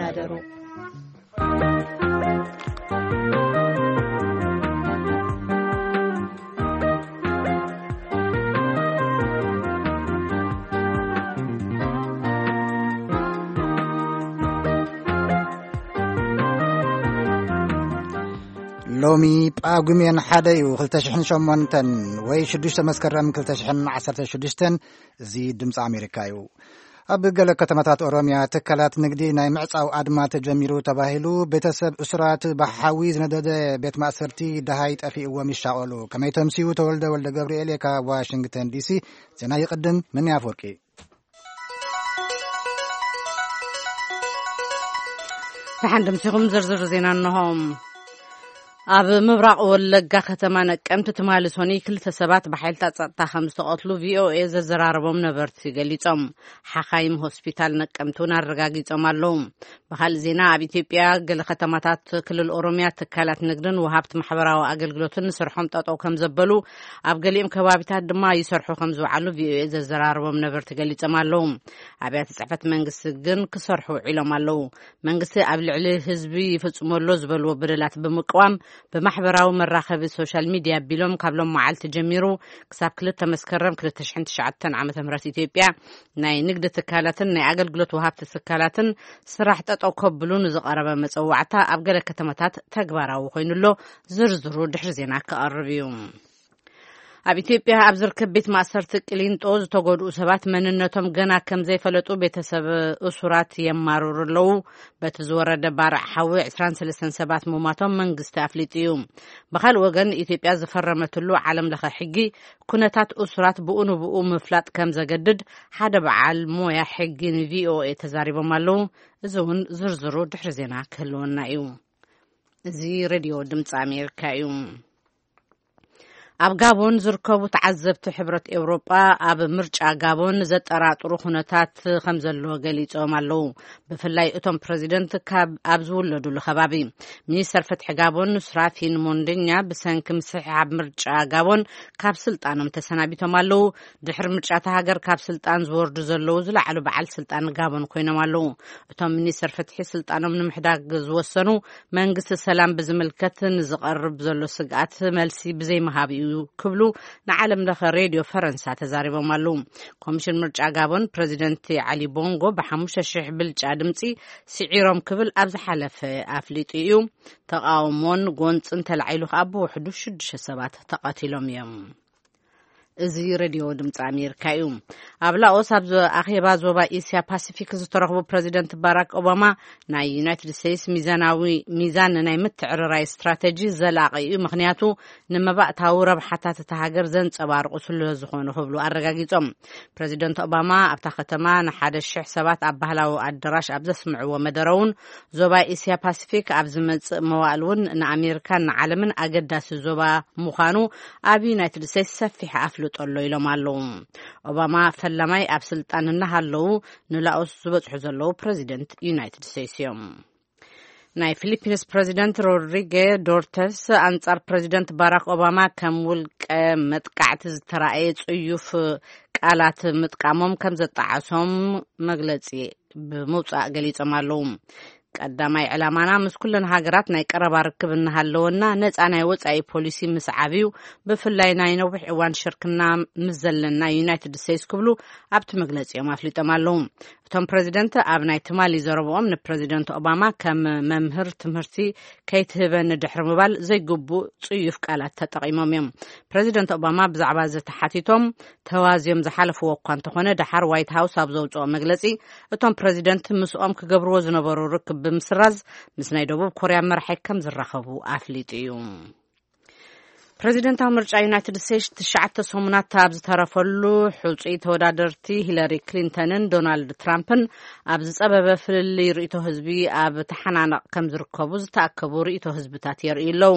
ኣደሩ። ሎሚ ጳጉሜን ሓደ እዩ፣ ክልተ ሽሕን ሸሞንተን ወይ ሽዱሽተ መስከረም ክልተ ሽሕን ዓሰርተ ሽዱሽተን። እዚ ድምፂ ኣሜሪካ እዩ። ኣብ ገለ ከተማታት ኦሮምያ ትካላት ንግዲ ናይ ምዕፃው ኣድማ ተጀሚሩ ተባሂሉ። ቤተሰብ እሱራት ብሓዊ ዝነደደ ቤት ማእሰርቲ ደሃይ ጠፊእዎም ይሻቐሉ። ከመይ ተምስዩ? ተወልደ ወልደ ገብርኤል እየ ካብ ዋሽንግተን ዲሲ። ዜና ይቕድም። ምን ኣፈወርቂ። ደሓን ድምሲኹም ዝርዝር ዜና እንሆ። ኣብ ምብራቕ ወለጋ ከተማ ነቀምቲ ትማሊ ሶኒ ክልተ ሰባት ብሓይልታት ጸጥታ ከም ዝተቐትሉ ቪኦኤ ዘዘራረቦም ነበርቲ ገሊጾም። ሓኻይም ሆስፒታል ነቀምቲ እውን ኣረጋጊጾም ኣለዉ። ብኻልእ ዜና፣ ኣብ ኢትዮጵያ ገለ ከተማታት ክልል ኦሮምያ ትካላት ንግድን ወሃብቲ ማሕበራዊ ኣገልግሎትን ንስርሖም ጠጠው ከም ዘበሉ፣ ኣብ ገሊኦም ከባቢታት ድማ ይሰርሑ ከም ዝውዓሉ ቪኦኤ ዘዘራረቦም ነበርቲ ገሊጾም ኣለዉ። ኣብያተ ጽሕፈት መንግስቲ ግን ክሰርሑ ውዒሎም ኣለዉ። መንግስቲ ኣብ ልዕሊ ህዝቢ ይፍጽሞ ኣሎ ዝበልዎ በደላት ብምቅዋም፣ ብማሕበራዊ መራኸቢ ሶሻል ሚድያ ኣቢሎም ካብ ሎም መዓልቲ ጀሚሩ ክሳብ ክልተ መስከረም ክልተ ሽሕን ትሽዓተን ዓመተ ምህረት ኢትዮጵያ ናይ ንግዲ ትካላትን ናይ ኣገልግሎት ወሃብቲ ትካላትን ስራሕ ጠጠው ከብሉ ንዝቐረበ መጸዋዕታ ኣብ ገለ ከተማታት ተግባራዊ ኮይኑ ኣሎ። ዝርዝሩ ድሕሪ ዜና ክቐርብ እዩ። ኣብ ኢትዮጵያ ኣብ ዝርከብ ቤት ማእሰርቲ ቅሊንጦ ዝተጎድኡ ሰባት መንነቶም ገና ከም ዘይፈለጡ ቤተሰብ እሱራት የማርሩ ኣለዉ። በቲ ዝወረደ ባርዕ ሓዊ ዕስራን ሰለስተን ሰባት ምሟቶም መንግስቲ ኣፍሊጡ እዩ። ብኻልእ ወገን፣ ኢትዮጵያ ዝፈረመትሉ ዓለም ለኸ ሕጊ ኩነታት እሱራት ብኡ ንብኡ ምፍላጥ ከም ዘገድድ ሓደ በዓል ሞያ ሕጊ ንቪኦኤ ተዛሪቦም ኣለዉ። እዚ እውን ዝርዝሩ ድሕሪ ዜና ክህልወና እዩ። እዚ ሬድዮ ድምፂ ኣሜሪካ እዩ። ኣብ ጋቦን ዝርከቡ ተዓዘብቲ ሕብረት ኤውሮጳ፣ ኣብ ምርጫ ጋቦን ዘጠራጥሩ ኩነታት ከም ዘሎ ገሊጾም ኣለዉ። ብፍላይ እቶም ፕረዚደንት ካብ ኣብ ዝውለዱሉ ከባቢ። ሚኒስተር ፍትሒ ጋቦን ሱራፊን ሞንደኛ ብሰንኪ ምስሕሓብ ምርጫ ጋቦን ካብ ስልጣኖም ተሰናቢቶም ኣለዉ። ድሕሪ ምርጫ እታ ሃገር ካብ ስልጣን ዝወርዱ ዘለዉ ዝለዓሉ በዓል ስልጣን ጋቦን ኮይኖም ኣለዉ። እቶም ሚኒስተር ፍትሒ ስልጣኖም ንምሕዳግ ዝወሰኑ፣ መንግስቲ ሰላም ብዝምልከት ንዝቐርብ ዘሎ ስግኣት መልሲ ብዘይምሃብ እዩ ክብሉ ንዓለም ለኸ ሬድዮ ፈረንሳ ተዛሪቦም ኣለዉ። ኮሚሽን ምርጫ ጋቦን ፕረዚደንት ዓሊ ቦንጎ ብሓሙሽተ ሽሕ ብልጫ ድምፂ ስዒሮም ክብል ኣብ ዝሓለፈ ኣፍሊጡ እዩ። ተቃውሞን ጎንፅን ተላዒሉ ከኣ ብውሕዱ ሽዱሽተ ሰባት ተቐቲሎም እዮም። እዚ ሬድዮ ድምፂ ኣሜሪካ እዩ። ኣብ ላኦስ ኣብ ዞ-፣ ኣኼባ ዞባ ኤስያ ፓሲፊክ ዝተረኽቡ ፕረዚደንት ባራክ ኦባማ፣ ናይ ዩናይትድ ስቴትስ ሚዛናዊ፣ ሚዛን ናይ ምትዕርራይ ስትራተጂ ዘላቒ እዩ፣ ምኽንያቱ ንመባእታዊ ረብሓታት እታ ሃገር ዘንጸባርቑ ስለ ዝኾኑ ክብሉ ኣረጋጊጾም። ፕረዚደንት ኦባማ ኣብታ ከተማ ንሓደ ሽሕ ሰባት ኣብ ባህላዊ ኣዳራሽ ኣብ ዘስምዕዎ መደረ እውን፣ ዞባ ኤስያ ፓሲፊክ ኣብ ዝመጽእ መዋእል እውን ንኣሜሪካን ንዓለምን ኣገዳሲ ዞባ ምዃኑ ኣብ ዩናይትድ ስቴትስ ሰፊሕ ኣፍልጦ ኣሎ ኢሎም ኣለዉ። ኦባማ ፈላማይ ኣብ ስልጣን እናሃለዉ ንላኦስ ዝበጽሑ ዘለዉ ፕረዚደንት ዩናይትድ ስቴትስ እዮም። ናይ ፊሊፒንስ ፕረዚደንት ሮድሪጌ ዶርተስ ኣንጻር ፕረዚደንት ባራክ ኦባማ ከም ውልቀ መጥቃዕቲ ዝተራእየ ጽዩፍ ቃላት ምጥቃሞም ከም ዘጣዓሶም መግለጺ ብምውጻእ ገሊጾም ኣለዉ። ቀዳማይ ዕላማና ምስ ኩለን ሃገራት ናይ ቀረባ ርክብ እናሃለወና ነጻ ናይ ወጻኢ ፖሊሲ ምስ ዓብዩ፣ ብፍላይ ናይ ነዊሕ እዋን ሽርክና ምስ ዘለና ዩናይትድ ስቴትስ ክብሉ ኣብቲ መግለጺኦም ኣፍሊጦም ኣለዉ። እቶም ፕረዚደንት ኣብ ናይ ትማሊ ዘረብኦም ንፕረዚደንት ኦባማ ከም መምህር ትምህርቲ ከይትህበኒ ድሕሪ ምባል ዘይግቡእ ጽዩፍ ቃላት ተጠቒሞም እዮም። ፕረዚደንት ኦባማ ብዛዕባ እዚ ተሓቲቶም ተዋዝዮም ዝሓለፍዎ እኳ እንተኾነ፣ ደሓር ዋይት ሃውስ ኣብ ዘውጽኦ መግለጺ፣ እቶም ፕረዚደንት ምስኦም ክገብርዎ ዝነበሩ ርክብ ብምስራዝ ምስ ናይ ደቡብ ኮርያ መራሒ ከም ዝራኸቡ ኣፍሊጡ እዩ። ፕረዚደንታዊ ምርጫ ዩናይትድ ስቴትስ ትሽዓተ ሰሙናት ኣብ ዝተረፈሉ፣ ሕጹይ ተወዳደርቲ ሂለሪ ክሊንተንን ዶናልድ ትራምፕን ኣብ ዝጸበበ ፍልልይ ርእይቶ ህዝቢ ኣብ ተሓናነቕ ከም ዝርከቡ ዝተኣከቡ ርእይቶ ህዝብታት የርእዩ ኣለዉ።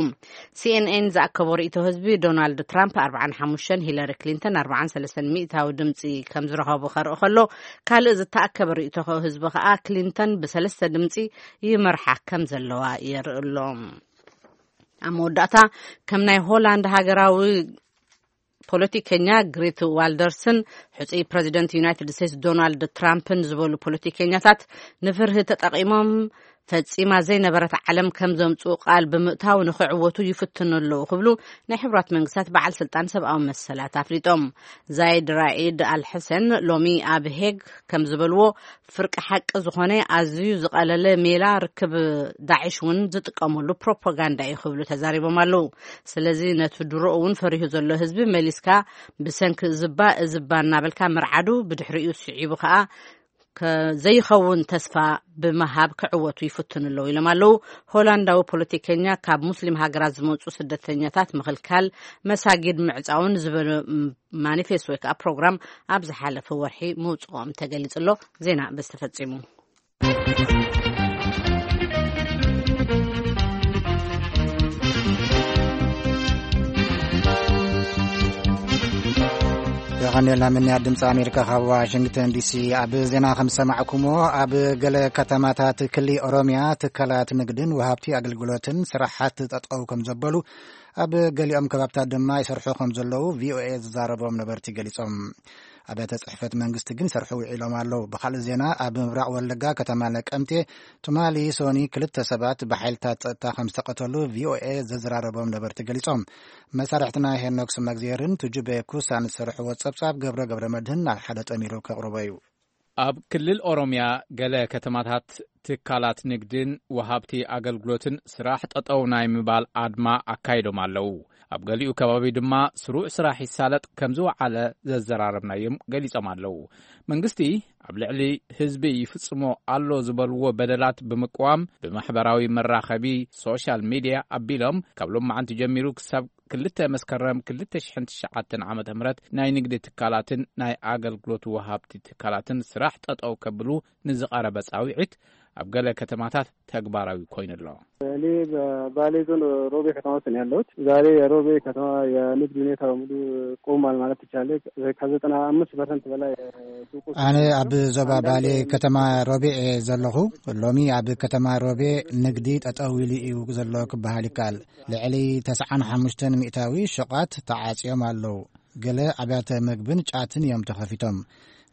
ሲኤንኤን ዝኣከቦ ርእይቶ ህዝቢ፣ ዶናልድ ትራምፕ ኣርብዓን ሓሙሽተን፣ ሂለሪ ክሊንተን ኣርብዓን ሰለስተን ሚእታዊ ድምጺ ከም ዝረኸቡ ከርኢ ከሎ፣ ካልእ ዝተኣከበ ርእይቶ ህዝቢ ከኣ ክሊንተን ብሰለስተ ድምጺ ይመርሓ ከም ዘለዋ የርኢ ኣሎ። ኣብ መወዳእታ፣ ከም ናይ ሆላንድ ሃገራዊ ፖለቲከኛ ግሪት ዋልደርስን ሕጹይ ፕረዚደንት ዩናይትድ ስቴትስ ዶናልድ ትራምፕን ዝበሉ ፖለቲከኛታት ንፍርሂ ተጠቒሞም ፈጺማ ዘይነበረት ዓለም ከም ዘምጽኡ ቃል ብምእታው ንኽዕወቱ ይፍትኑ ኣለዉ ክብሉ ናይ ሕቡራት መንግስታት በዓል ስልጣን ሰብኣዊ መሰላት ኣፍሊጦም። ዛይድ ራኢድ ኣልሕሰን ሎሚ ኣብ ሄግ ከም ዝበልዎ፣ ፍርቂ ሓቂ ዝኾነ ኣዝዩ ዝቐለለ ሜላ ርክብ ዳዕሽ እውን ዝጥቀመሉ ፕሮፓጋንዳ እዩ ክብሉ ተዛሪቦም ኣለዉ። ስለዚ ነቲ ድሮ እውን ፈሪሁ ዘሎ ህዝቢ መሊስካ ብሰንኪ ዝባ እዝባ እናበልካ ምርዓዱ ብድሕሪኡ ስዒቡ ከኣ ዘይኸውን ተስፋ ብምሃብ ክዕወቱ ይፍትኑ ኣለዉ ኢሎም ኣለዉ። ሆላንዳዊ ፖለቲከኛ ካብ ሙስሊም ሃገራት ዝመፁ ስደተኛታት ምኽልካል፣ መሳጊድ ምዕፃውን ዝበሉ ማኒፌስቶ ወይ ከዓ ፕሮግራም ኣብ ዝሓለፈ ወርሒ ምውፅኦም ተገሊፁ ኣሎ። ዜና በዚ ተፈፂሙ። የቐንየልና ምንያት ድምፂ ኣሜሪካ ካብ ዋሽንግተን ዲሲ። ኣብ ዜና ከም ዝሰማዕኩሞ፣ ኣብ ገለ ከተማታት ክሊ ኦሮሚያ ትካላት ንግድን ወሃብቲ ኣገልግሎትን ስራሓት ጠጠው ከም ዘበሉ፣ ኣብ ገሊኦም ከባብታት ድማ ይሰርሑ ከም ዘለዉ ቪኦኤ ዝዛረቦም ነበርቲ ገሊጾም። ኣብያተ ጽሕፈት መንግስቲ ግን ይሰርሑ ውዒሎም ኣለዉ። ብኻልእ ዜና፣ ኣብ ምብራቕ ወለጋ ከተማ ነቀምቴ ትማሊ ሶኒ ክልተ ሰባት ብሓይልታት ጸጥታ ከም ዝተቐተሉ ቪኦኤ ዘዘራረቦም ነበርቲ ገሊጾም። መሳርሕትና ሄኖክ ስመግዜርን ትጁቤ ኩሳን ዝሰርሕዎ ጸብጻብ ገብረ ገብረ መድህን ናብ ሓደ ጠሚሩ ከቕርቦ እዩ። ኣብ ክልል ኦሮሚያ ገለ ከተማታት ትካላት ንግድን ወሃብቲ ኣገልግሎትን ስራሕ ጠጠው ናይ ምባል ኣድማ ኣካይዶም ኣለዉ። ኣብ ገሊኡ ከባቢ ድማ ስሩዕ ስራሕ ይሳለጥ ከም ዝወዓለ ዘዘራረብናዮም ገሊጾም ኣለዉ። መንግስቲ ኣብ ልዕሊ ህዝቢ ይፍጽሞ ኣሎ ዝበልዎ በደላት ብምቅዋም ብማሕበራዊ መራኸቢ ሶሻል ሚድያ ኣቢሎም ካብ ሎማዓንቲ ጀሚሩ ክሳብ ክልተ መስከረም ክልተ ሽሕን ትሽዓተን ዓመተ ምህረት ናይ ንግዲ ትካላትን ናይ ኣገልግሎት ወሃብቲ ትካላትን ስራሕ ጠጠው ከብሉ ንዝቐረበ ጻውዒት ኣብ ገለ ከተማታት ተግባራዊ ኮይኑ ኣሎ። እኔ በባሌ ዞን ሮቤ ከተማ ውስጥ ነው ያለሁት። ዛሬ የሮቤ ከተማ የንግድ ሁኔታ በሙሉ ቆሟል ማለት ይቻላል። ከዘጠና አምስት ፐርሰንት በላይ ሱቆች አነ አብ ዞባ ባሌ ከተማ ሮቤ እየ ዘለኹ። ሎሚ ኣብ ከተማ ሮቤ ንግዲ ጠጠው ኢሉ እዩ ዘሎ ክበሃል ይከኣል። ልዕሊ ተስዓን ሓሙሽተን ሚእታዊ ሹቓት ተዓጽዮም ኣለዉ። ገለ ኣብያተ መግብን ጫትን እዮም ተኸፊቶም።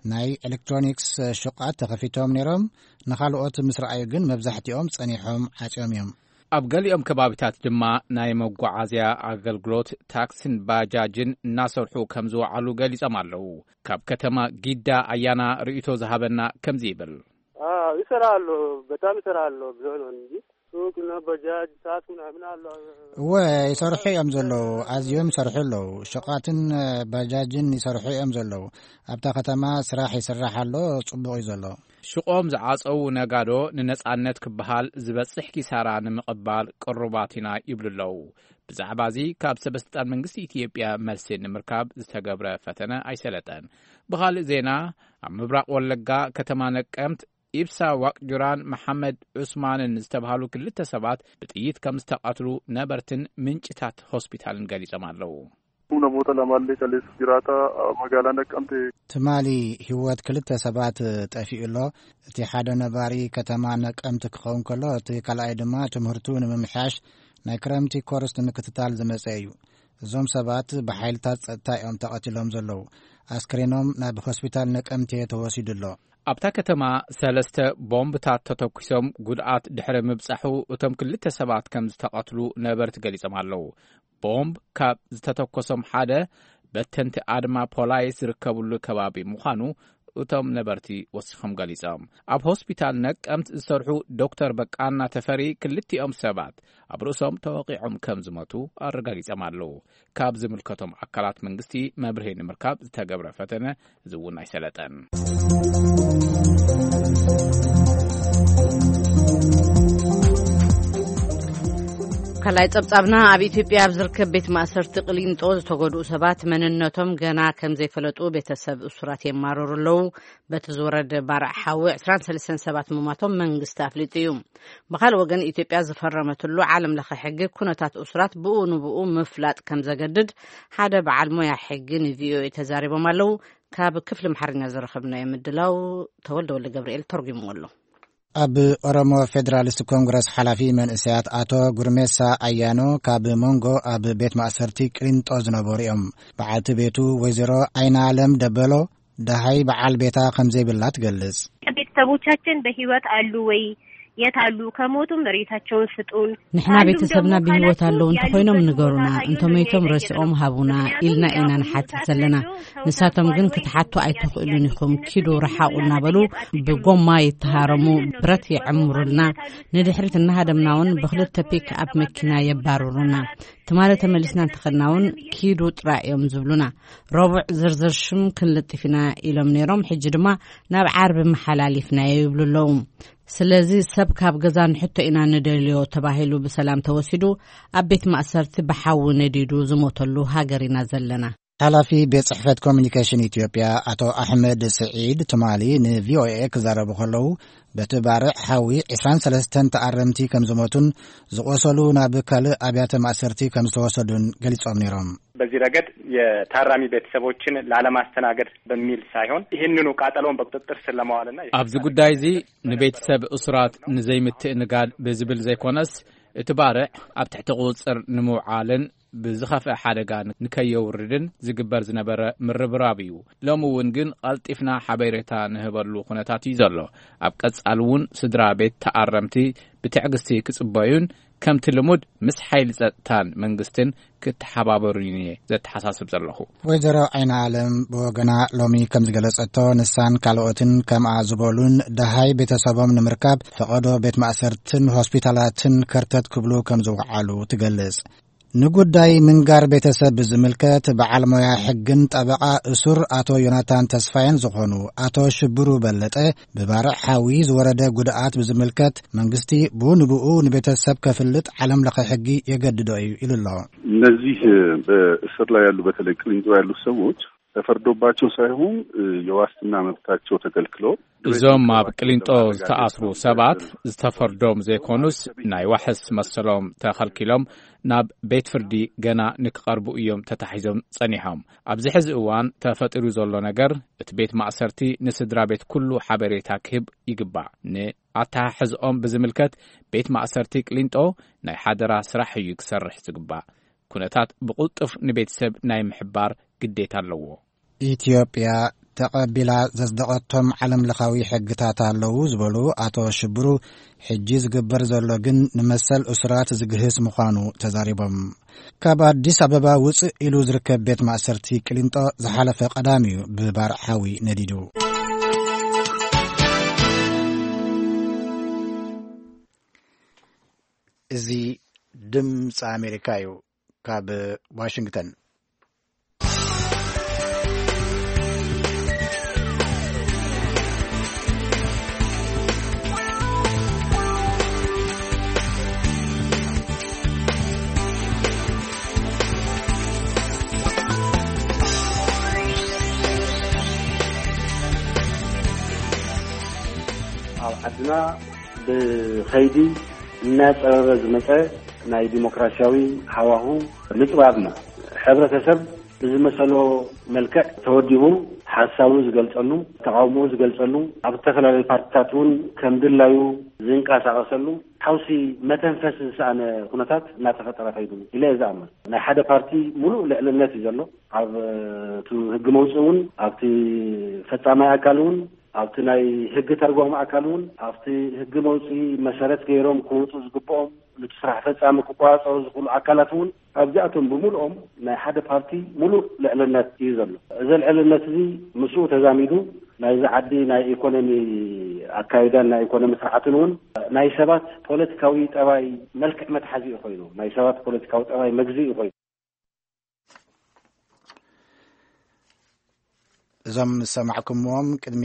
ናይ ኤሌክትሮኒክስ ሹቓት ተኸፊቶም ነይሮም። ንኻልኦት ምስ ረኣዩ ግን መብዛሕትኦም ጸኒሖም ዓጽዮም እዮም። ኣብ ገሊኦም ከባቢታት ድማ ናይ መጓዓዝያ ኣገልግሎት ታክሲን ባጃጅን እናሰርሑ ከም ዝወዓሉ ገሊጾም ኣለዉ። ካብ ከተማ ጊዳ ኣያና ርእይቶ ዝሃበና ከምዚ ይብል። አዎ፣ ይሰራሉ፣ በጣም ይሰራሉ። ብዙ ነው እንጂ ሱቅ እና በጃጅ፣ ታክሲ ምናምን አሉ። እወ፣ ይሰርሑ እዮም ዘለዉ። ኣዝዮም ይሰርሑ ኣለዉ። ሸቃትን ባጃጅን ይሰርሑ እዮም ዘለዉ። ኣብታ ከተማ ስራሕ ይስራሕ ኣሎ፣ ጽቡቕ እዩ ዘሎ። ሽቆም ዝዓጸዉ ነጋዶ ንነጻነት ክበሃል ዝበጽሕ ኪሳራ ንምቕባል ቅሩባት ኢና ይብሉ ኣለዉ። ብዛዕባ እዚ ካብ ሰበስልጣን መንግስቲ ኢትዮጵያ መልሲ ንምርካብ ዝተገብረ ፈተነ ኣይሰለጠን። ብኻልእ ዜና፣ ኣብ ምብራቕ ወለጋ ከተማ ነቀምት ኢብሳ ዋቅጁራን መሓመድ ዑስማንን ዝተባህሉ ክልተ ሰባት ብጥይት ከም ዝተቐትሉ ነበርትን ምንጭታት ሆስፒታልን ገሊጾም ኣለዉ። Humna moota lamaallee kaleessa jiraata magaalaa Naqqamtee. ትማሊ ህይወት ክልተ ሰባት ጠፊኡ ኣሎ። እቲ ሓደ ነባሪ ከተማ ነቀምት ክኸውን ከሎ፣ እቲ ካልኣይ ድማ ትምህርቱ ንምምሕያሽ ናይ ክረምቲ ኮርስ ንምክትታል ዝመጸ እዩ። እዞም ሰባት ብሓይልታት ጸጥታ እዮም ተቐቲሎም ዘለዉ። ኣስክሬኖም ናብ ሆስፒታል ነቀምቴ ተወሲዱ ኣሎ። ኣብታ ከተማ ሰለስተ ቦምብታት ተተኲሶም ጉድኣት ድሕሪ ምብጻሑ፣ እቶም ክልተ ሰባት ከም ዝተቐትሉ ነበርቲ ገሊጾም ኣለዉ። ቦምብ ካብ ዝተተኮሶም ሓደ በተንቲ ኣድማ ፖላይስ ዝርከብሉ ከባቢ ምዃኑ እቶም ነበርቲ ወሲኾም ገሊጾም። ኣብ ሆስፒታል ነቀምት ዝሰርሑ ዶክተር በቃና ተፈሪ ክልቲኦም ሰባት ኣብ ርእሶም ተወቒዖም ከም ዝሞቱ ኣረጋጊጾም ኣለዉ። ካብ ዝምልከቶም ኣካላት መንግስቲ መብርሂ ንምርካብ ዝተገብረ ፈተነ እዚ እውን ኣይሰለጠን። ካልኣይ ጸብጻብና፣ ኣብ ኢትዮጵያ ኣብ ዝርከብ ቤት ማእሰርቲ ቅሊንጦ ዝተጎድኡ ሰባት መንነቶም ገና ከም ዘይፈለጡ ቤተሰብ እሱራት የማርሩ ኣለዉ። በቲ ዝወረደ ባርዕ ሓዊ ዕስራን ሰለስተን ሰባት ምሟቶም መንግስቲ ኣፍሊጡ እዩ። ብኻልእ ወገን፣ ኢትዮጵያ ዝፈረመትሉ ዓለም ለኸ ሕጊ ኩነታት እሱራት ብኡ ንብኡ ምፍላጥ ከም ዘገድድ ሓደ በዓል ሞያ ሕጊ ንቪኦኤ ተዛሪቦም ኣለዉ። ካብ ክፍሊ ኣምሓርኛ ዝረኸብናዮ ምድላው ተወልደ ወልደ ገብርኤል ተርጉምዎ ኣሎ። ኣብ ኦሮሞ ፌዴራሊስት ኮንግረስ ሓላፊ መንእሰያት ኣቶ ጉርሜሳ ኣያኖ ካብ መንጎ ኣብ ቤት ማእሰርቲ ቅሊንጦ ዝነበሩ እዮም። በዓልቲ ቤቱ ወይዘሮ ዓይነ ኣለም ደበሎ ደሃይ በዓል ቤታ ከም ዘይብላ ትገልጽ። ቤተሰቦቻችን በህይወት አሉ ወይ? የት አሉ? ከሞቱም ሬሳቸውን ስጡን። ንሕና ቤተሰብና ብህይወት ኣለዉ እንተኾይኖም ንገሩና፣ እንተመይቶም ረሲኦም ሃቡና ኢልና ኢና ንሓትት ዘለና። ንሳቶም ግን ክትሓቱ ኣይትኽእሉን ኢኹም፣ ኪዱ ርሓቑ እናበሉ ብጎማ ይተሃረሙ፣ ብረት ይዕምሩልና። ንድሕሪት እናሃደምና እውን ብክልተ ፒክ ኣፕ መኪና የባርሩና። ትማሊ ተመሊስና እንተኸድና እውን ኪዱ ጥራይ እዮም ዝብሉና። ረቡዕ ዝርዝር ሽም ክንልጥፍ ኢና ኢሎም ነይሮም፣ ሕጂ ድማ ናብ ዓርቢ መሓላሊፍናዮ ይብሉ ኣለዉ። ስለዚ ሰብ ካብ ገዛ ንሕቶ ኢና ንደልዮ ተባሂሉ ብሰላም ተወሲዱ ኣብ ቤት ማእሰርቲ ብሓዊ ነዲዱ ዝሞተሉ ሃገር ኢና ዘለና። ሓላፊ ቤት ጽሕፈት ኮሚኒኬሽን ኢትዮጵያ ኣቶ ኣሕመድ ስዒድ ትማሊ ንቪኦኤ ክዛረቡ ከለዉ፣ በቲ ባርዕ ሓዊ ዕስራን ሰለስተን ተኣረምቲ ከም ዝሞቱን ዝቆሰሉ ናብ ካልእ ኣብያተ ማእሰርቲ ከም ዝተወሰዱን ገሊጾም ነይሮም። በዚህ ረገድ የታራሚ ቤተሰቦችን ላለማስተናገድ በሚል ሳይሆን ይህንኑ ቃጠሎውን በቁጥጥር ስር ለማዋልና ኣብዚ ጉዳይ እዚ ንቤተሰብ እሱራት ንዘይምትእንጋድ ብዝብል ዘይኮነስ፣ እቲ ባርዕ ኣብ ትሕቲ ቁጽጽር ንምውዓልን ብዝኸፍአ ሓደጋ ንከየውርድን ዝግበር ዝነበረ ምርብራብ እዩ። ሎሚ እውን ግን ቀልጢፍና ሓበሬታ ንህበሉ ኩነታት እዩ ዘሎ። ኣብ ቀጻሊ እውን ስድራ ቤት ተኣረምቲ ብትዕግስቲ ክጽበዩን ከምቲ ልሙድ ምስ ሓይሊ ጸጥታን መንግስትን ክተሓባበሩን እየ ዘተሓሳስብ ዘለኹ። ወይዘሮ ዓይነ ኣለም ብወገና ሎሚ ከም ዝገለጸቶ፣ ንሳን ካልኦትን ከምኣ ዝበሉን ደሃይ ቤተሰቦም ንምርካብ ፈቐዶ ቤት ማእሰርትን ሆስፒታላትን ከርተት ክብሉ ከም ዝወዓሉ ትገልጽ። ንጉዳይ ምንጋር ቤተሰብ ብዝምልከት በዓል ሞያ ሕግን ጠበቓ እሱር ኣቶ ዮናታን ተስፋየን ዝኾኑ ኣቶ ሽብሩ በለጠ፣ ብባርዕ ሓዊ ዝወረደ ጉድኣት ብዝምልከት መንግስቲ ብኡ ንብኡ ንቤተሰብ ከፍልጥ ዓለም ለኸ ሕጊ የገድዶ እዩ ኢሉ ኣሎ። እነዚህ በእስር ላይ ያሉ፣ በተለይ ቅሊንጦ ያሉ ሰዎች ተፈርዶባቸው ሳይሆን የዋስትና መብታቸው ተከልክሎ እዞም ኣብ ቅሊንጦ ዝተኣስሩ ሰባት ዝተፈርዶም ዘይኮኑስ ናይ ዋሕስ መሰሎም ተኸልኪሎም ናብ ቤት ፍርዲ ገና ንክቐርቡ እዮም ተታሒዞም ጸኒሖም። ኣብዚ ሕዚ እዋን ተፈጢሩ ዘሎ ነገር እቲ ቤት ማእሰርቲ ንስድራ ቤት ኩሉ ሓበሬታ ክህብ ይግባእ። ንኣተሓሕዝኦም ብዝምልከት ቤት ማእሰርቲ ቅሊንጦ ናይ ሓደራ ስራሕ እዩ ክሰርሕ ዝግባእ። ኩነታት ብቕልጡፍ ንቤተሰብ ናይ ምሕባር ግዴታ ኣለዎ። ኢትዮጵያ ተቐቢላ ዘጽደቐቶም ዓለም ለኻዊ ሕግታት ኣለዉ ዝበሉ ኣቶ ሽብሩ፣ ሕጂ ዝግበር ዘሎ ግን ንመሰል እሱራት ዝግህስ ምዃኑ ተዛሪቦም። ካብ ኣዲስ ኣበባ ውጽእ ኢሉ ዝርከብ ቤት ማእሰርቲ ቅሊንጦ ዝሓለፈ ቀዳም እዩ ብባርዕ ሓዊ ነዲዱ። እዚ ድምፂ ኣሜሪካ እዩ። ካብ ዋሽንግተን። ኣብ ዓድና ብኸይዲ እናጸበበ ዝመጸ ናይ ዲሞክራሲያዊ ሃዋሁ ምጽባብና፣ ሕብረተሰብ ብዝመሰሎ መልክዕ ተወዲቡ ሓሳቡ ዝገልጸሉ፣ ተቓውሞኡ ዝገልጸሉ፣ ኣብ ዝተፈላለዩ ፓርቲታት እውን ከም ድላዩ ዝንቀሳቐሰሉ፣ ሓውሲ መተንፈሲ ዝሰኣነ ኩነታት እናተፈጠረ ከይዱ ኢለ እየ ዝኣምን። ናይ ሓደ ፓርቲ ሙሉእ ልዕልነት እዩ ዘሎ። ኣብ እቲ ህጊ መውፅኢ እውን፣ ኣብቲ ፈጻማይ ኣካል እውን፣ ኣብቲ ናይ ህጊ ተርጓሚ ኣካል እውን፣ ኣብቲ ህጊ መውፅኢ መሰረት ገይሮም ክወፁ ዝግብኦም፣ ነቲ ስራሕ ፈጻሚ ክቆጻጸሩ ዝኽእሉ ኣካላት እውን ኣብዚኣቶም ብምልኦም ናይ ሓደ ፓርቲ ሙሉእ ልዕልነት እዩ ዘሎ። እዚ ልዕልነት እዚ ምስኡ ተዛሚዱ ናይዚ ዓዲ ናይ ኢኮኖሚ ኣካይዳን ናይ ኢኮኖሚ ስርዓትን እውን ናይ ሰባት ፖለቲካዊ ጠባይ መልክዕ መትሓዚ እዩ ኮይኑ። ናይ ሰባት ፖለቲካዊ ጠባይ መግዚ እዩ ኮይኑ። እዞም ዝሰማዕኩምዎም ቅድሚ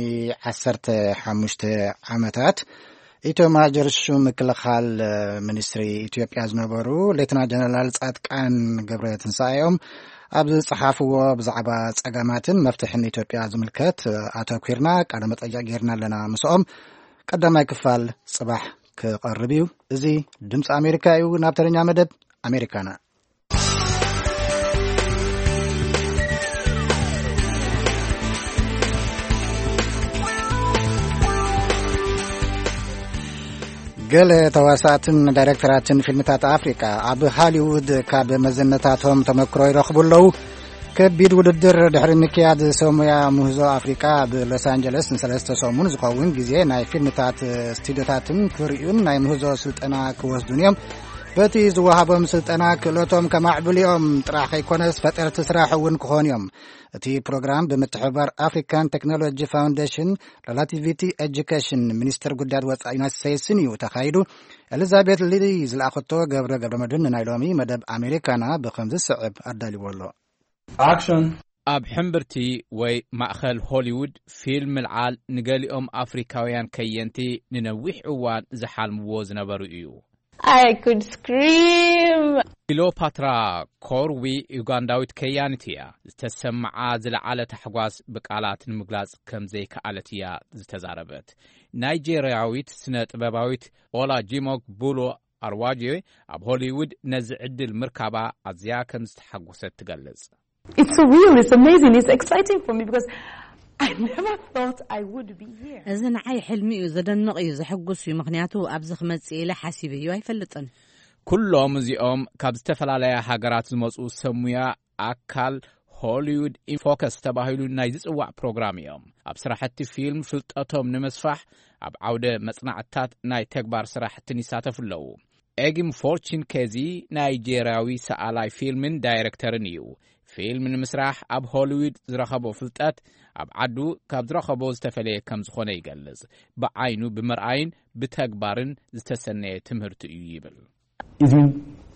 ዓሰርተ ሓሙሽተ ዓመታት ኢታማዦር ሹም ምክልኻል ሚኒስትሪ ኢትዮጵያ ዝነበሩ ሌተና ጀነራል ጻድቃን ገብረ ትንሳኤ እዮም። ኣብ ዝጸሓፍዎ ብዛዕባ ጸገማትን መፍትሕን ኢትዮጵያ ዝምልከት ኣተኲርና ቃለ መጠይቕ ጌርና ኣለና ምስኦም። ቀዳማይ ክፋል ጽባሕ ክቐርብ እዩ። እዚ ድምፂ ኣሜሪካ እዩ። ናብ ተረኛ መደብ ኣሜሪካና። ገለ ተዋሳእትን ዳይሬክተራትን ፊልምታት ኣፍሪቃ ኣብ ሃሊውድ ካብ መዘነታቶም ተመክሮ ይረኽቡ ኣለዉ። ከቢድ ውድድር ድሕሪ ምክያድ፣ ሰሙያ ምህዞ ኣፍሪቃ ኣብ ሎስ ኣንጀለስ ንሰለስተ ሰሙን ዝኸውን ግዜ ናይ ፊልምታት ስቱዲዮታትን ክርእዩን ናይ ምህዞ ስልጠና ክወስዱን እዮም። በቲ ዝወሃቦም ስልጠና ክእለቶም ከማዕብሉ እዮም ጥራሕ ከይኮነስ፣ ፈጠርቲ ስራሕ እውን ክኾኑ እዮም። እቲ ፕሮግራም ብምትሕብባር ኣፍሪካን ቴክኖሎጂ ፋውንዴሽን፣ ሬላቲቪቲ ኤጁኬሽን፣ ሚኒስትር ጉዳያት ወፃኢ ዩናይትድ ስቴትስን እዩ ተኻይዱ። ኤሊዛቤት ሊ ዝለኣኸቶ ገብረ ገብረ መድህን ንናይ ሎሚ መደብ ኣሜሪካና ብኸምዚ ስዕብ ኣዳልዎ ኣሎ። ኣብ ሕምብርቲ ወይ ማእኸል ሆሊውድ ፊልም ምልዓል ንገሊኦም ኣፍሪካውያን ከየንቲ ንነዊሕ እዋን ዝሓልምዎ ዝነበሩ እዩ። I could scream. ክሊዮፓትራ ኮርዊ ዩጋንዳዊት ከያኒት እያ። ዝተሰምዓ ዝለዓለ ታሕጓስ ብቃላት ንምግላጽ ከም ዘይከኣለት እያ ዝተዛረበት። ናይጄርያዊት ስነ ጥበባዊት ኦላ ጂሞክ ቡሎ ኣርዋጆ ኣብ ሆሊውድ ነዚ ዕድል ምርካባ ኣዝያ ከም ዝተሓጎሰት ትገልጽ። It's surreal, it's amazing, it's exciting for me because I never thought I would be here. እዚ ንዓይ ሕልሚ እዩ፣ ዘደንቕ እዩ፣ ዘሐጉስ እዩ፣ ምኽንያቱ ኣብዚ ክመጽእ ኢለ ሓሲበዮ ኣይፈልጥን። ኩሎም እዚኦም ካብ ዝተፈላለያ ሃገራት ዝመጹ ሰብ ሙያ ኣካል ሆሊውድ ኢንፎከስ ተባሂሉ ናይ ዝጽዋዕ ፕሮግራም እዮም። ኣብ ስራሕቲ ፊልም ፍልጠቶም ንምስፋሕ ኣብ ዓውደ መጽናዕትታት ናይ ተግባር ስራሕትን ይሳተፉ ኣለዉ። ኤጊም ፎርችን ኬዚ ናይጄርያዊ ሰኣላይ ፊልምን ዳይረክተርን እዩ። ፊልም ንምስራሕ ኣብ ሆሊውድ ዝረኸቦ ፍልጠት ኣብ ዓዱ ካብ ዝረኸቦ ዝተፈለየ ከም ዝኾነ ይገልጽ። ብዓይኑ ብምርኣይን ብተግባርን ዝተሰነየ ትምህርቲ እዩ ይብል። It's been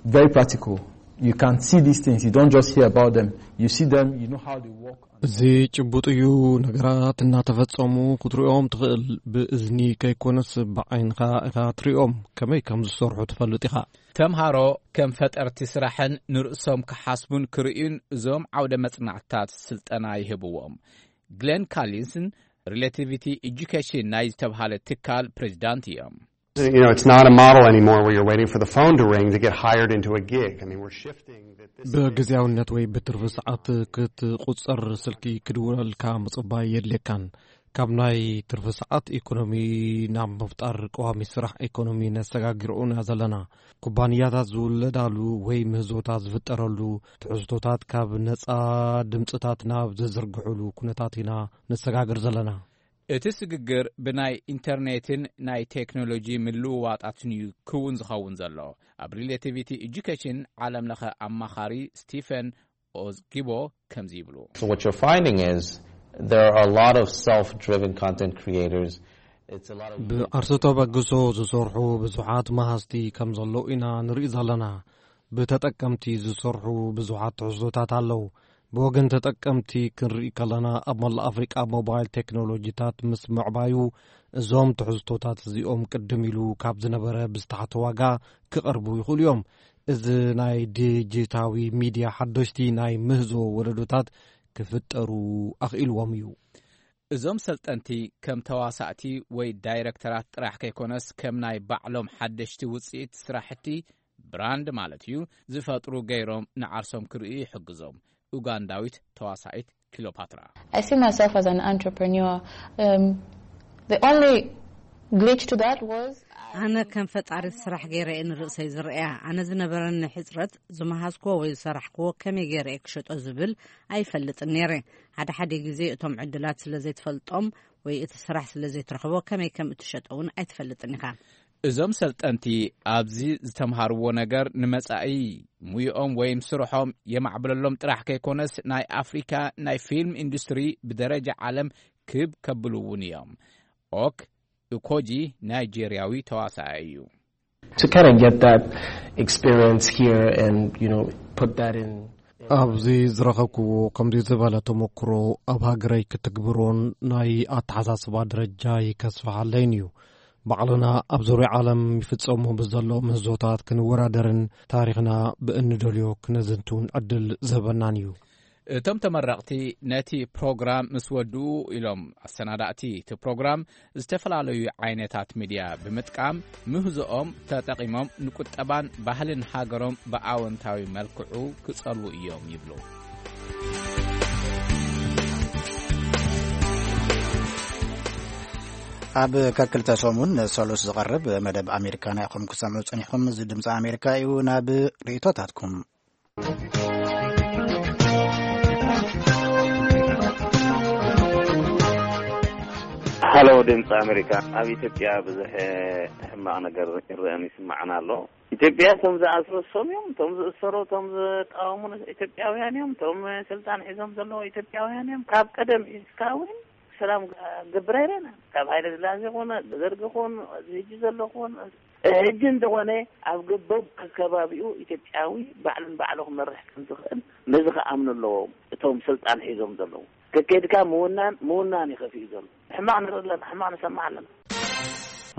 very practical. You can see these things. You don't just hear about them. You see them, you know how they work. እዚ ጭቡጥ እዩ። ነገራት እናተፈጸሙ ክትሪኦም ትኽእል። ብእዝኒ ከይኮነስ ብዓይንኻ ኢኻ ትሪኦም። ከመይ ከም ዝሰርሑ ትፈልጥ ኢኻ። ተምሃሮ ከም ፈጠርቲ ስራሕን ንርእሶም ክሓስቡን ክርእዩን እዞም ዓውደ መጽናዕትታት ስልጠና ይህብዎም። ግሌን ካሊንስን ሪሌቲቪቲ ኤጁኬሽን ናይ ዝተብሃለ ትካል ፕሬዚዳንት እዮም። You know, it's not a model anymore where you're waiting for the phone to ring to get hired into a gig. I mean, we're shifting that this ብግዜያውነት ወይ ብትርፊ ሰዓት ክትቁጸር ስልኪ ክድውለልካ ምጽባይ የድልየካን። ካብ ናይ ትርፊ ሰዓት ኢኮኖሚ ናብ ምፍጣር ቀዋሚ ስራሕ ኢኮኖሚ ነሰጋግርኡ ኢና ዘለና። ኩባንያታት ዝውለዳሉ ወይ ምህዞታት ዝፍጠረሉ ትሕዝቶታት ካብ ነጻ ድምጽታት ናብ ዝዝርግሕሉ ኩነታት ኢና ነሰጋግር ዘለና። እቲ ስግግር ብናይ ኢንተርኔትን ናይ ቴክኖሎጂ ምልውዋጣትን እዩ ክውን ዝኸውን ዘሎ። ኣብ ሪሌቲቪቲ ኤጁኬሽን ዓለም ለኸ ኣማኻሪ ስቲፈን ኦዝጊቦ ከምዚ ይብሉ። So what you're finding is there are a lot of self-driven content creators. It's a lot of ብዓርሲ ተበግሶ ዝሰርሑ ብዙሓት መሃዝቲ ከም ዘለዉ ኢና ንርኢ ዘለና። ብተጠቀምቲ ዝሰርሑ ብዙሓት ትሕዝቶታት ኣለዉ። ብወገን ተጠቀምቲ ክንርኢ ከለና፣ ኣብ መላእ ኣፍሪቃ ሞባይል ቴክኖሎጂታት ምስ ምዕባዩ፣ እዞም ትሕዝቶታት እዚኦም ቅድም ኢሉ ካብ ዝነበረ ብዝተሓተ ዋጋ ክቐርቡ ይኽእሉ እዮም። እዚ ናይ ዲጂታዊ ሚድያ ሓደሽቲ ናይ ምህዞ ወለዶታት ክፍጠሩ ኣኽኢልዎም እዩ። እዞም ሰልጠንቲ ከም ተዋሳእቲ ወይ ዳይረክተራት ጥራሕ ከይኮነስ፣ ከም ናይ ባዕሎም ሓደሽቲ ውጽኢት ስራሕቲ፣ ብራንድ ማለት እዩ፣ ዝፈጥሩ ገይሮም ንዓርሶም ክርእዩ ይሕግዞም። ኡጋንዳዊት ተዋሳኢት ክሊዮፓትራ። I see myself as an entrepreneur. Um, the only glitch to that was ኣነ ከም ፈጣሪት ስራሕ ገይረ እየ ንርእሰይ ዝርእያ። ኣነ ዝነበረኒ ሕጽረት፣ ዝመሃዝክዎ ወይ ዝሰራሕክዎ ከመይ ገይረ እየ ክሸጦ ዝብል ኣይፈልጥን ነይረ። ሓደ ሓደ ግዜ እቶም ዕድላት ስለ ዘይትፈልጦም ወይ እቲ ስራሕ ስለ ዘይትረኽቦ፣ ከመይ ከም እትሸጦ እውን ኣይትፈልጥን ኢኻ። እዞም ሰልጠንቲ ኣብዚ ዝተምሃርዎ ነገር ንመጻኢ ሙያኦም ወይም ስርሖም የማዕብለሎም ጥራሕ ከይኮነስ፣ ናይ ኣፍሪካ ናይ ፊልም ኢንዱስትሪ ብደረጃ ዓለም ክብ ከብሉ እውን እዮም። ኦክ እኮጂ ናይጄርያዊ ተዋሳኣይ እዩ። To kind of get that experience here and, you know, put that in. ኣብዚ ዝረኸብክዎ ከምዚ ዝበለ ተመክሮ ኣብ ሃገረይ ክትግብሮን ናይ ኣተሓሳስባ ደረጃይ ከስፍሓለይን እዩ። ባዕልና ኣብ ዙርያ ዓለም ይፍጸሙ ብዘሎ ምህዞታት ክንወዳደርን ታሪኽና ብእንደልዮ ክነዝንቱን ዕድል ዝህበናን እዩ። እቶም ተመረቕቲ ነቲ ፕሮግራም ምስ ወድኡ ኢሎም ኣሰናዳእቲ እቲ ፕሮግራም ዝተፈላለዩ ዓይነታት ሚድያ ብምጥቃም ምህዞኦም ተጠቒሞም ንቁጠባን ባህልን ሃገሮም ብኣወንታዊ መልክዑ ክጸልዉ እዮም ይብሉ። ኣብ ከክልተ ሰሙን ሰሉስ ዝቐርብ መደብ ኣሜሪካና ኢኹም ክሰምዑ ጸኒሕኩም። እዚ ድምፂ ኣሜሪካ እዩ። ናብ ርእይቶታትኩም። ሃሎ ድምፂ ኣሜሪካ። ኣብ ኢትዮጵያ ብዙሕ ሕማቕ ነገር ይረአን ይስማዕን ኣሎ። ኢትዮጵያ እቶም ዝኣስሩ እሶም እዮም፣ እቶም ዝእሰሩ፣ እቶም ዝቃወሙ ኢትዮጵያውያን እዮም፣ እቶም ስልጣን ሒዞም ዘለዉ ኢትዮጵያውያን እዮም። ካብ ቀደም እስካ እውን ሰላም ገብር ኣይረና። ካብ ሃይለ ስላሴ ኮነ፣ ደርጊ ኮን፣ እዚ ሕጂ ዘሎ ኮን፣ ሕጂ እንተኾነ ኣብ ገበብ ከከባቢኡ ኢትዮጵያዊ ባዕሉን ባዕሉ ክመርሕ ከም ዝኽእል ነዚ ክኣምኑ ኣለዎም። እቶም ስልጣን ሒዞም ዘለዉ ከከድካ ምውናን ምውናን ይኸፍዩ ዘሎ። ሕማቕ ንርኢ ኣለና፣ ሕማቕ ንሰማዕ ኣለና።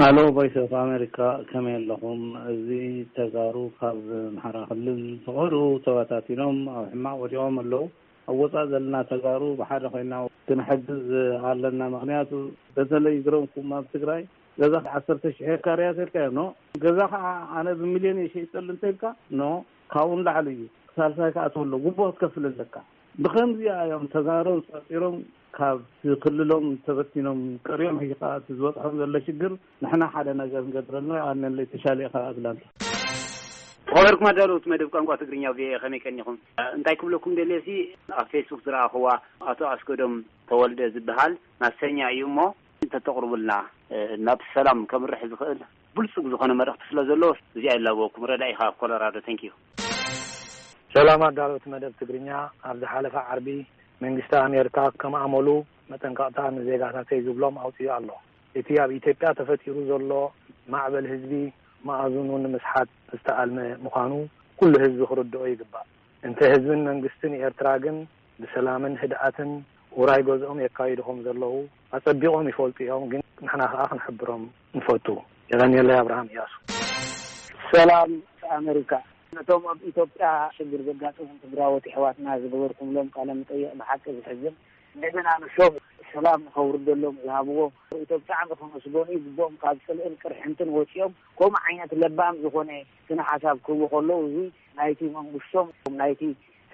ኣሎ ቮይስ ኦፍ ኣሜሪካ፣ ከመይ ኣለኹም? እዚ ተጋሩ ካብ ኣምሓራ ክልል ተቐሩ ተበታቲኖም ኣብ ሕማቕ ወዲቖም ኣለዉ። ኣብ ወፃእ ዘለና ተጋሩ ብሓደ ኮይና ክንሕግዝ ኣለና። ምክንያቱ በተለይ ግረምኩም ኣብ ትግራይ ገዛ ዓሰርተ ሽሕ ሄክታር እያ ተልካ ኖ፣ ገዛ ከዓ ኣነ ብሚልዮን እየ ሸይጠሉ እንተልካ ኖ፣ ካብኡ ንላዕሊ እዩ። ሳልሳይ ከዓ ትወሎ ጉቦ ክትከፍል ኣለካ። ብከምዚኣ እዮም ተጋሮም ፀፂሮም ካብ ክልሎም ተበቲኖም ቀሪዮም። ሕጂ ከዓ እቲ ዝበፅሖም ዘሎ ሽግር ንሕና ሓደ ነገር ንገብረልና። ኣነለይ ተሻለ ኢኻ ኣግላልታ። ተኸበርኩም ኣዳለውቲ መደብ ቋንቋ ትግርኛ ቪኦኤ፣ ከመይ ቀኒኹም? እንታይ ክብለኩም ደልየ ሲ፣ ኣብ ፌስቡክ ዝረኣኽዋ ኣቶ ኣስገዶም ተወልደ ዝበሃል ማሰኛ እዩ እሞ፣ እንተተቕርቡልና ናብ ሰላም ከምርሕ ዝኽእል ብልጹግ ዝኾነ መልእኽቲ ስለ ዘለዎ፣ እዚኣ ይላበወኩም። ረዳኢኻ ኣብ ኮሎራዶ። ተንኪዩ። ሰላም ኣዳለውቲ መደብ ትግርኛ። ኣብ ዝሓለፈ ዓርቢ መንግስቲ ኣሜሪካ ከም ኣመሉ መጠንቀቕታ ንዜጋታተይ ዝብሎም ኣውፂኡ ኣሎ። እቲ ኣብ ኢትዮጵያ ተፈጢሩ ዘሎ ማዕበል ህዝቢ መኣዝኑ ንምስሓት ዝተኣልመ ምዃኑ ኩሉ ህዝቢ ክርድኦ ይግባእ። እንተ ህዝብን መንግስትን ኤርትራ ግን ብሰላምን ህድኣትን ውራይ ገዝኦም የካይዱ ከም ዘለዉ ኣጸቢቖም ይፈልጡ እዮም። ግን ንሕና ከኣ ክንሕብሮም ንፈቱ። የቐንየለይ። ኣብርሃም እያሱ። ሰላም ኣሜሪካ። ነቶም ኣብ ኢትዮጵያ ሽግር ዘጋጠሞም ትግራዎት የሕዋትና ዝገበርኩምሎም ቃለ መጠይቕ ብሓቂ ዝሕዝን፣ እንደገና ንሶም ሰላም ንኸውርደሎም ዝሃብዎ ርእይቶ ብጣዕሚ ከመስገኑ ይግብኦም። ካብ ጽልእን ቅርሕንትን ወጺኦም ከምኡ ዓይነት ለባም ዝኾነ ስነ ሓሳብ ክህቡ ከለዉ፣ እዚ ናይቲ መንግስቶም፣ ናይቲ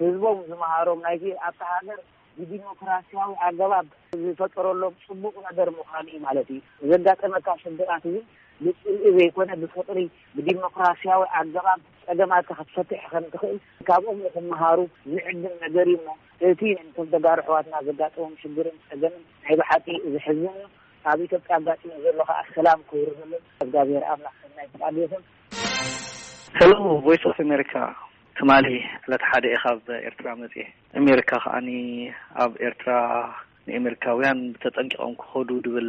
ህዝቦም ዝመሃሮም፣ ናይቲ ኣብታ ሃገር ብዲሞክራሲያዊ ኣገባብ ዝፈጠረሎም ጽቡቕ ነገር ምዃኑ እዩ ማለት እዩ። ዘጋጠመካ ሽግራት እዚ ብጽልኢ ዘይኮነ ብፍቕሪ፣ ብዲሞክራሲያዊ ኣገባብ ጸገማትካ ክትፈትሕ ከም ትኽእል ካብኦም ንኽመሃሩ ዝዕድም ነገር እዩ እሞ፣ እቲ ነቶም ተጋሩ ኣሕዋትና ዘጋጠሞም ሽግርን ጸገምን ናይ ብሓቂ ዘሕዝን እዩ። ኣብ ኢትዮጵያ ኣጋጢሙ ዘሎ ከኣ ሰላም ክውርደሎም እግዚኣብሔር ኣምላኽ ሰናይ ፍቃዱ ይኹን። ሄሎ ቮይስ ኦፍ ኣሜሪካ፣ ትማሊ ዕለት ሓደ እየ ካብ ኤርትራ መጽየ። ኣሜሪካ ከኣኒ ኣብ ኤርትራ ንኤሜሪካውያን ተጠንቂቖም ክኸዱ ድብል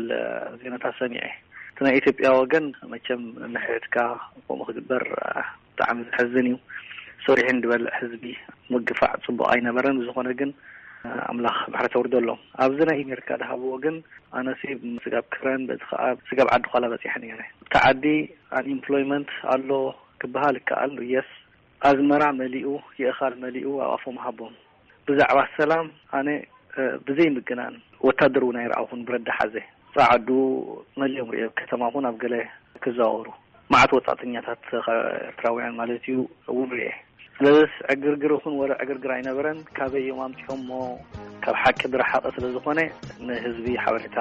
ዜናታት ሰሚዐ። እቲ ናይ ኢትዮጵያ ወገን መቸም ንሕድሕድካ ከምኡ ክግበር ብጣዕሚ ዘሕዝን እዩ። ሰሪሑ ንድበልዕ ህዝቢ ምግፋዕ ጽቡቕ ኣይነበረን። ብዝኾነ ግን ኣምላኽ ምሕረት ኣውርደሎም። ኣብዚ ናይ ኣሜሪካ ድሃብዎ ግን ኣነሲ ስጋብ ክረን በዚ ከኣ ስጋብ ዓዲ ኳላ በጺሐ ነይረ። ኣብቲ ዓዲ ኣንኢምፕሎይመንት ኣሎ ክበሃል ይከኣል። የስ፣ ኣዝመራ መሊኡ፣ የእኻል መሊኡ ኣብ ኣፎም ሃቦም። ብዛዕባ ሰላም ኣነ ብዘይ ምግናን ወታደር እውን ኣይረኣኹን። ብረዳ ሓዘ ጻዓዱ መሊኦም ርእየ፣ ከተማ እውን ኣብ ገለ ክዘዋወሩ መዓት ወጻእተኛታት ኤርትራውያን ማለት እዩ እውን ርእየ። ስለዚስ ዕግርግር ይኹን ወረ ዕግርግር ኣይነበረን። ካበይ እዮም ኣምጺኦሞ? ካብ ሓቂ ዝረሓቐ ስለ ዝኾነ ንህዝቢ ሓበሬታ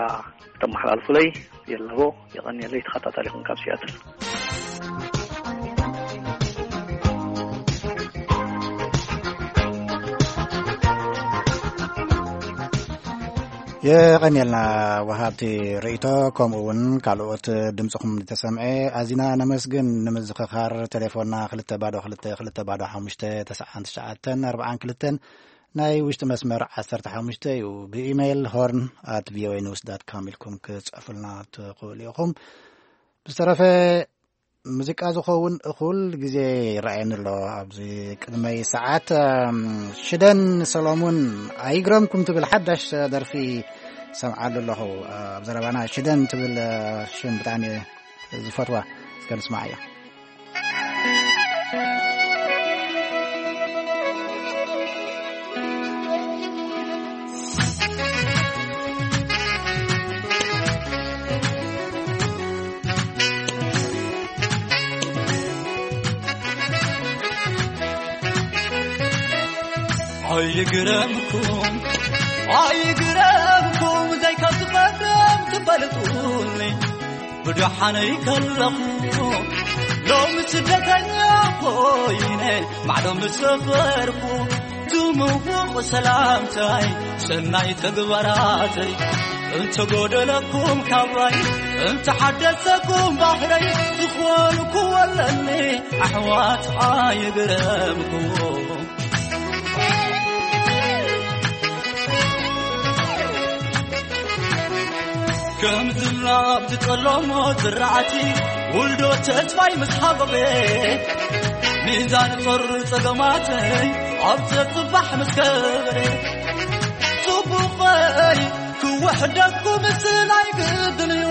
ተመሓላልፉለይ። የለቦ። የቐንየለይ። ተኸታታሊኹም ካብ ሲያትል። የቐንየልና ወሃብቲ ርእይቶ፣ ከምኡ እውን ካልኦት ድምፅኹም ዝተሰምዐ ኣዚና ነመስግን። ንምዝኽኻር ቴሌፎንና ክልተ ባዶ ክልተ ክልተ ባዶ ሓሙሽተ ተስዓን ትሽዓተን ኣርባዓን ክልተን፣ ናይ ውሽጢ መስመር ዓሰርተ ሓሙሽተ እዩ። ብኢሜይል ሆርን ኣት ቪኦኤ ኒውስ ዳት ካም ኢልኩም ክጽሕፉልና ትኽእሉ ኢኹም። ብዝተረፈ ሙዚቃ ዝኸውን እኹል ግዜ ይረኣየኒ ኣሎ ኣብዚ ቅድመይ ሰዓት። እም፣ ሽደን ሰሎሙን ኣይግረምኩም ትብል ሓዳሽ ደርፊ ሰምዓሉ ኣለኹ። ኣብ ዘረባና ሽደን ትብል ሽም ብጣዕሚ ዝፈትዋ። እስከ ንስማዓያ። ኣይግረምኩም፣ ኣይግረምኩም፣ ዘይከስበትም ትፈልጡኒ። ብደሓነይ ከለኹ ሎሚ ስደተኛ ኮይነ ማዕዶ ምስ ሰፈርኩ፣ ትምውቕ ሰላምታይ ሰናይ ተግባራተይ፣ እንተጎደለኩም ካባይ፣ እንተሓደሰኩም ባህረይ፣ ዝኾንኩዎ ኣለኒ ኣሕዋት ኣይግረምኩም። ከም ዝናብ ዝጠለሞ ዝራእቲ፣ ውልዶ ተስፋይ ምስ ሃበበ፣ ሚዛን ጾር ጸገማተይ ኣብ ዘጽባሕ ምስ ከበረ፣ ጽቡቐይ ክውሕደኩም ምስል ኣይግድን እዩ።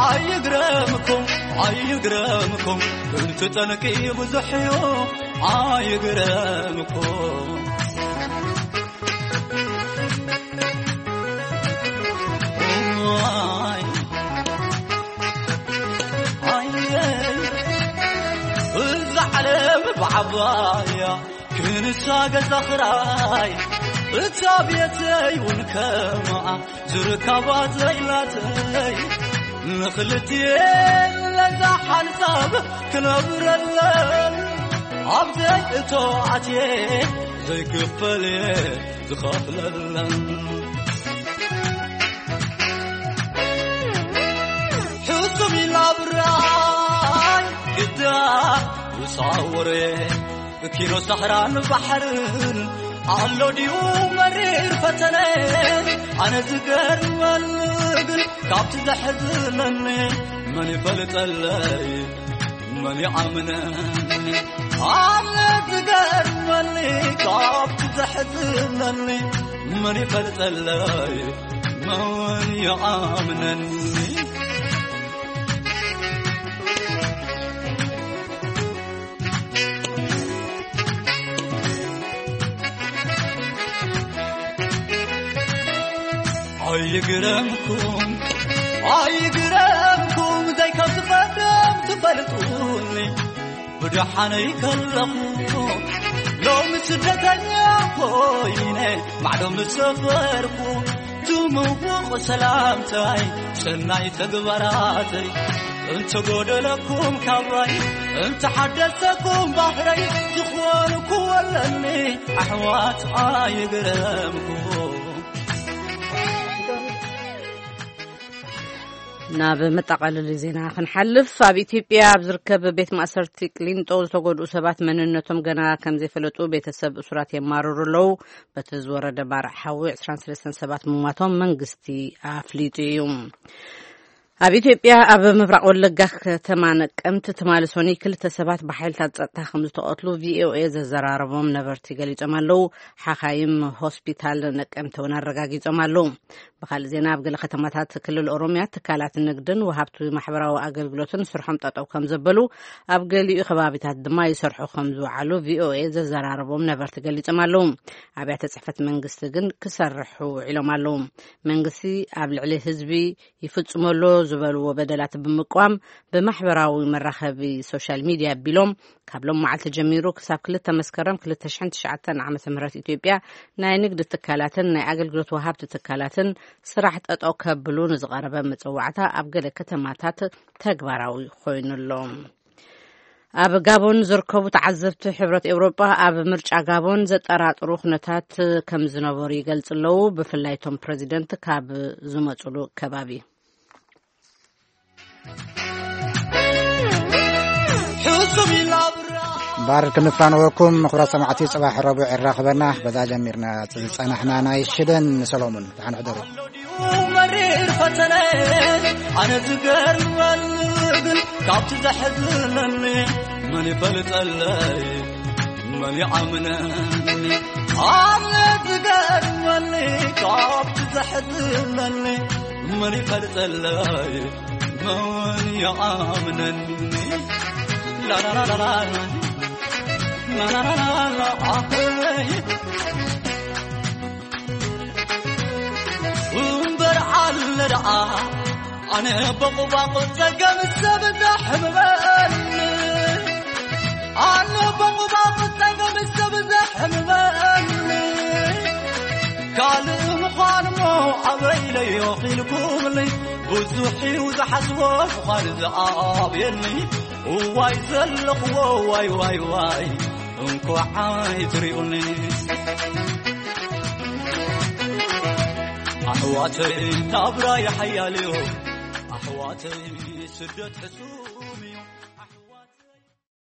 ኣይግረምኩም፣ ኣይግረምኩም፣ እቲ ጠንቂ ብዙሕ እዩ። ኣይግረምኩም። እዛ ዓለም ብዓባያ ክንሳ ገዛ ኽራይ፣ እታ ቤተይ እውን ከማኣ ዝርካባ ዘይላተይ፣ ንኽልቲኤን ለዛ ሓንሳብ ክነብረለን፣ ኣብ ዘይእቶ ኣትየ ዘይክፈል እየ ዝኸፍለለን። ሕሱም ኢላ ብራይ ግዳ ውሳወሬ፣ ኪኖ ሳሕራን ባሕርን ኣሎ ድዩ መሪር ፈተነ? ኣነ ዝገርመኒ ግን ካብቲ ዘሕዝነኒ፣ መን ይፈልጠለይ መን ይኣምነኒ? ኣነ ዝገርመኒ ካብቲ ዘሕዝነኒ፣ መን ይፈልጠለይ መን ይኣምነኒ? ኣይግረምኩም፣ ኣይግረምኩም፣ ዘይከም ዝቐደም ትፈልጡኒ። ብደሓነይ ከለኹ ሎሚ ስደተኛ ኮይነ ማዕዶ ምስ ሰፈርኩ፣ ትምውቕ ሰላምታይ ሰናይ ተግባራተይ፣ እንተጎደለኩም ካባይ፣ እንተሓደሰኩም ባህረይ፣ ዝኾንኩዎ ኣለኒ ኣሕዋት ኣይግረምኩም። ናብ መጠቓለሊ ዜና ክንሓልፍ፣ ኣብ ኢትዮጵያ ኣብ ዝርከብ ቤት ማእሰርቲ ቅሊንጦ ዝተጎድኡ ሰባት መንነቶም ገና ከም ዘይፈለጡ ቤተሰብ እሱራት የማርሩ ኣለዉ። በቲ ዝወረደ ባርዕ ሓዊ ዕስራን ሰለስተን ሰባት ምሟቶም መንግስቲ ኣፍሊጡ እዩ። ኣብ ኢትዮጵያ ኣብ ምብራቕ ወለጋ ከተማ ነቀምት ትማሊ ሰኑይ ክልተ ሰባት ብሓይልታት ጸጥታ ከም ዝተቐትሉ ቪኦኤ ዘዘራረቦም ነበርቲ ገሊጾም ኣለዉ። ሓኻይም ሆስፒታል ነቀምት እውን ኣረጋጊጾም ኣለዉ። ብኻልእ ዜና፣ ኣብ ገለ ከተማታት ክልል ኦሮምያ ትካላት ንግድን ወሃብቲ ማሕበራዊ ኣገልግሎትን ስርሖም ጠጠው ከም ዘበሉ፣ ኣብ ገሊኡ ከባቢታት ድማ ይሰርሑ ከም ዝወዓሉ ቪኦኤ ዘዘራረቦም ነበርቲ ገሊጾም ኣለዉ። ኣብያተ ጽሕፈት መንግስቲ ግን ክሰርሑ ውዒሎም ኣለዉ። መንግስቲ ኣብ ልዕሊ ህዝቢ ይፍጽመሎ ዝበልዎ በደላት ብምቅዋም፣ ብማሕበራዊ መራኸቢ ሶሻል ሚድያ ኣቢሎም፣ ካብ ሎም መዓልቲ ጀሚሩ ክሳብ ክልተ መስከረም ክልተ ሽሕን ትሽዓተን ዓመተ ምህረት ኢትዮጵያ ናይ ንግዲ ትካላትን ናይ ኣገልግሎት ወሃብቲ ትካላትን ስራሕ ጠጠው ከብሉ ንዝቐረበ መጸዋዕታ ኣብ ገለ ከተማታት ተግባራዊ ኮይኑ ኣሎ። ኣብ ጋቦን ዝርከቡ ተዓዘብቲ ሕብረት ኤውሮጳ ኣብ ምርጫ ጋቦን ዘጠራጥሩ ኩነታት ከም ዝነበሩ ይገልጹ ኣለዉ፣ ብፍላይ እቶም ፕረዚደንት ካብ ዝመጹሉ ከባቢ። እምበኣር ክንፋነወኩም፣ ክቡራት ሰማዕቲ፣ ጽባሕ ረቡዕ የራኽበና። በዛ ጀሚርና ዝጸናሕና ናይ ሽደን ንሰሎሙን። ደሓን ሕደሩ። መሪር ፈተነ፣ ኣነ ዝገርመኒ ግን ካብቲ ዘሕዝነኒ፣ መን ይፈልጠለይ መን ይኣምነኒ? ኣነ ዝገርመኒ ካብቲ ዘሕዝነኒ፣ መን ይፈልጠለይ መን ይኣምነኒ? ላላላላላ፣ ላላላላላ፣ ኣኸይ። እምበር ኣለ ደኣ ኣነ በቑባቑ ጸገም ሰብ ዘሕምመኒ፣ ኣነ በቑባቑ ጸገም ሰብ ዘሕምመኒ፣ ካልእ ምዃንሞ ኣበይ ኢለዮ ኢልኩምኒ፣ ብዙ ብዙሕ እዩ ዝሓስቦ ዝኾነ ዝኣብየኒ። እዋይ ዘለኽዎ ዋይ ዋይ ዋይ፣ እንኳዕ ኣይትሪኡኒ። ኣሕዋተይ ናብራ ይሓያል እዩ። ኣሕዋተይ ስደት ሕሱ